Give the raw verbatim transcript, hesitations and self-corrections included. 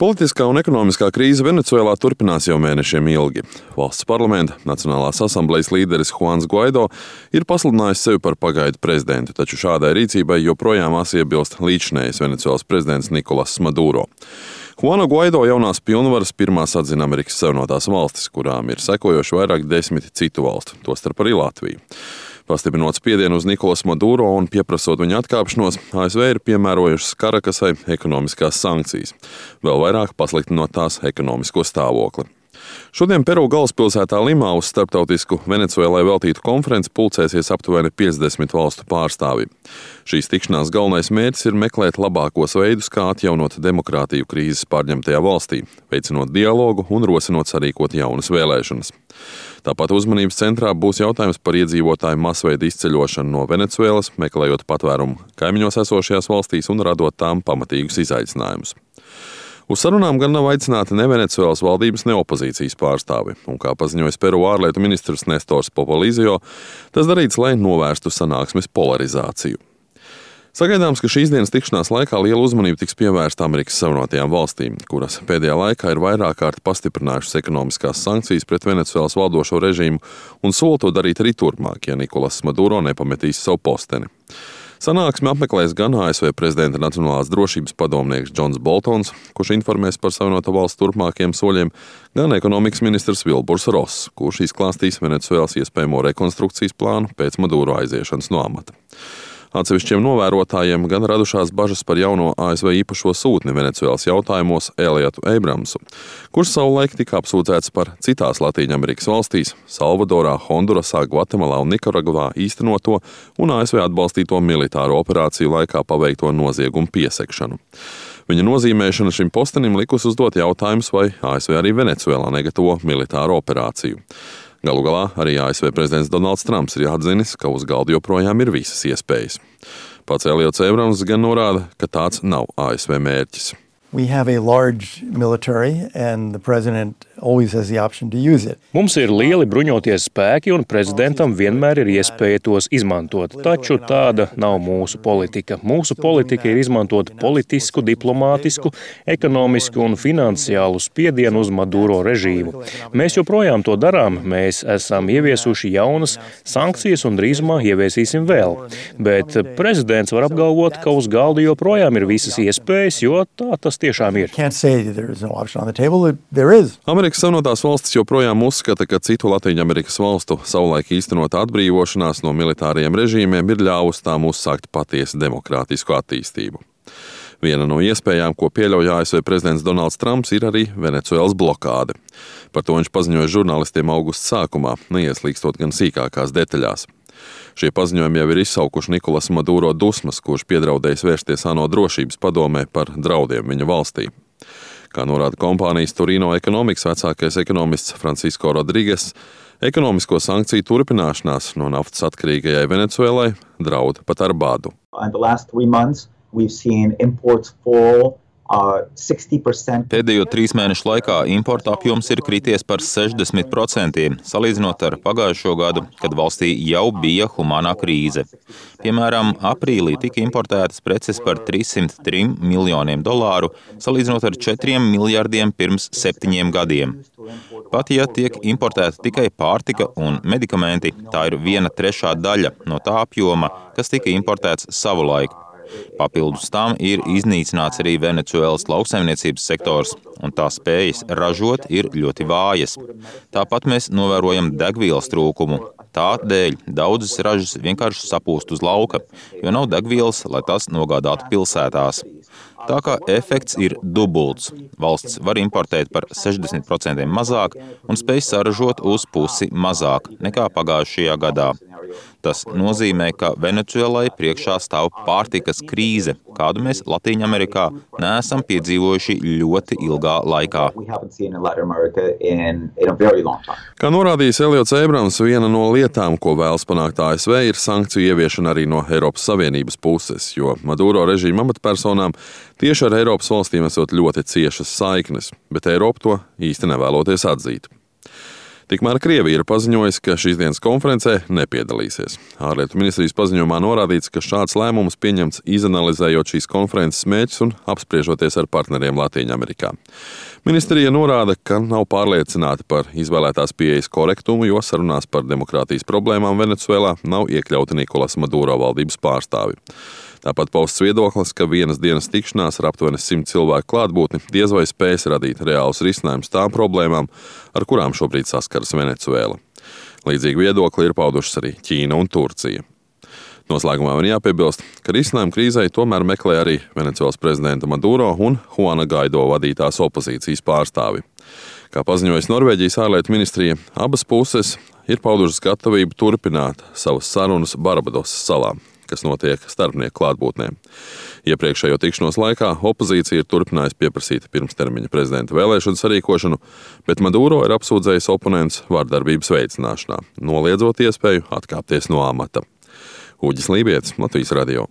Politiskā un ekonomiskā krīze Venecuēlā turpinās jau mēnešiem ilgi. Valsts parlamenta Nacionālās asamblejas līderis Juans Guaido ir pasludinājis sevi par pagaidu prezidentu, taču šādai rīcībai joprojām iebilst līdzinējais Venecuēlas prezidents Nikolas Maduro. Juana Guaido jaunās pilnvaras pirmās atzina Amerikas Savienotās valstis, kurām ir sekojoši vairāk desmit citu valstu, tostarp arī Latviju. Pastiprinot spiedienu uz Nikolasu Maduro un pieprasot viņa atkāpšanos, A S V ir piemērojušas Karakasai ekonomiskās sankcijas, vēl vairāk pasliktinot tās ekonomisko stāvokli. Šodien Peru galvaspilsētā Limā uz starptautisku Venecuēlai veltītu konferenci pulcēsies aptuveni piecdesmit valstu pārstāvji. Šīs tikšanās galvenais mērķis ir meklēt labākos veidus, kā atjaunot demokrātiju krīzes pārņemtajā valstī, veicinot dialogu un rosinot sarīkot jaunas vēlēšanas. Tāpat uzmanības centrā būs jautājums par iedzīvotāju masveida izceļošanu no Venecuēlas, meklējot patvērumu kaimiņos esošajās valstīs un radot tām pamatīgus izaicinājumus. Uz sarunām gan nav aicināti ne Venecuēlas valdības, ne opozīcijas pārstāvi, un kā paziņojis Peru ārlietu ministrs Nestors Popolizio, tas darīts, lai novērstu sanāksmes polarizāciju. Sagaidāms, ka šīs dienas tikšanās laikā liela uzmanība tiks pievērsta Amerikas Savienotajām valstīm, kuras pēdējā laikā ir vairāk kārt pastiprinājušas ekonomiskās sankcijas pret Venecuēlas valdošo režīmu un sola to darīt arī turpmāk, ja Nikolas Maduro nepametīs savu posteni. Sanāksmi apmeklēs gan A S V prezidenta Nacionālās drošības padomnieks Džons Boltons, kurš informēs par Savienoto valstu turpmākajiem soļiem, gan ekonomikas ministrs Vilburs Ross, kurš izklāstīs Venecuēlas iespējamo rekonstrukcijas plānu pēc Maduro aiziešanas no amata. Atsevišķiem novērotājiem gan radušās bažas par jauno A S V īpašo sūtni Venecuēlas jautājumos Eliotu Abramsu, kurš savulaik tika apsūdzēts par citās Latīņamerikas valstīs – Salvadorā, Hondurasā, Gvatemalā un Nikaragvā īstenoto un A S V atbalstīto militāro operāciju laikā paveikto noziegumu piesegšanu. Viņa nozīmēšana šim postenim likus uzdot jautājumus, vai A S V arī Venecuēlā negatavo militāro operāciju. Galu galā arī A S V prezidents Donalds Trumps ir atzinis, ka uz galda joprojām ir visas iespējas. Pats Eliots Abrams gan norāda, ka tāds nav A S V mērķis. We have a large military and the president always has the option to use it. Mums ir lieli bruņoties spēki un prezidentam vienmēr ir iespēja tos izmantot, taču tāda nav mūsu politika. Mūsu politika ir izmantot politisku, diplomātisku, ekonomisku un finansiālu spiedienu uz Maduro režīmu. Mēs joprojām to darām, mēs esam ieviesuši jaunas sankcijas un drīzumā ieviesīsim vēl. Bet prezidents var apgalvot, ka uz galda joprojām ir visas iespējas, jo tā tas tiešām ir. Amerikas Savienotās valstis joprojām uzskata, ka citu Latīņamerikas valstu savulaik īstenota atbrīvošanās no militāriem režīmiem ir ļāvusi tām uzsākt patiesu demokrātisku attīstību. Viena no iespējām, ko pieļauj A S V prezidents Donalds Trumps, ir arī Venecuēlas blokāde. Par to viņš paziņoja žurnālistiem augusta sākumā, neieslīkstot gan sīkākās detaļās. Šie paziņojumi jau ir izsaukuši Nikolas Maduro dusmas, kurš piedraudējis vērsties ANO drošības padomē par draudiem viņa valstī. Kā norāda kompānijas Turino Economics vecākais ekonomists Francisco Rodrigues, ekonomisko sankciju turpināšanās no naftas atkarīgajai Venecuēlai draud pat ar badu. Pēdējo trīs mēnešu laikā importa apjoms ir krities par sešdesmit procentiem, salīdzinot ar pagājušo gadu, kad valstī jau bija humānā krīze. Piemēram, aprīlī tika importētas preces par trīssimt trim miljoniem dolāru, salīdzinot ar četriem miljardiem pirms septiņiem gadiem. Pat ja tiek importēta tikai pārtika un medikamenti, tā ir viena trešā daļa no tā apjoma, kas tika importēts savulaik. Papildus tam ir iznīcināts arī Venecuēlas lauksaimniecības sektors, un tā spējas ražot ir ļoti vājas. Tāpat mēs novērojam degvielas trūkumu. Tādēļ daudzas ražas vienkārši sapūst uz lauka, jo nav degvielas, lai tās nogādātu pilsētās. Tā kā efekts ir dubults. Valsts var importēt par sešdesmit procentiem mazāk un spēj saražot uz pusi mazāk nekā pagājušajā gadā. Tas nozīmē, ka Venecuēlai priekšā stāv pārtikas krīze, kādu mēs Latīņamerikā neesam piedzīvojuši ļoti ilgā laikā. Kā norādījis Eliots Abrams, viena no lietām, ko vēlas panākt A S V, ir sankciju ieviešana arī no Eiropas Savienības puses, jo Maduro režīma amatpersonām tieši ar Eiropas valstīm esot ļoti ciešas saiknes, bet Eiropa to īsti nevēloties atzīt. Tikmēr Krievija ir paziņojusi, ka šīs dienas konferencē nepiedalīsies. Ārlietu ministrijas paziņojumā norādīts, ka šāds lēmums pieņemts izanalizējot šīs konferences mērķus un apspriežoties ar partneriem Latvijā-Amerikā. Ministrija norāda, ka nav pārliecināta par izvēlētās pieejas korektumu, jo sarunās par demokrātijas problēmām Venecuēlā nav iekļauti Nikolas Maduro valdības pārstāvi. Tāpat pausts viedoklis, ka vienas dienas tikšanās ar aptuveni simt cilvēku klātbūtni diez vai spēs radīt reālus risinājumus tām problēmām, ar kurām šobrīd saskaras Venecuēla. Līdzīgi viedokli ir paudušas arī Ķīna un Turcija. Noslēgumā var jāpiebilst, ka risinājumu krīzei tomēr meklē arī Venecuēlas prezidenta Maduro un Juana Guaido vadītās opozīcijas pārstāvi. Kā paziņojas Norvēģijas ārlietu ministrija, abas puses ir paudušas gatavību turpināt savas sarunas Barbadosas salā, kas notiek starpnieku klātbūtnē. Iepriekšējo tikšanos laikā opozīcija ir turpinājusi pieprasīt pirmstermiņa prezidenta vēlēšanu sarīkošanu, bet Maduro ir apsūdzējis oponents vardarbības veicināšanā, noliedzot iespēju atkāpties no amata. Uģis Lībietis, Latvijas radio.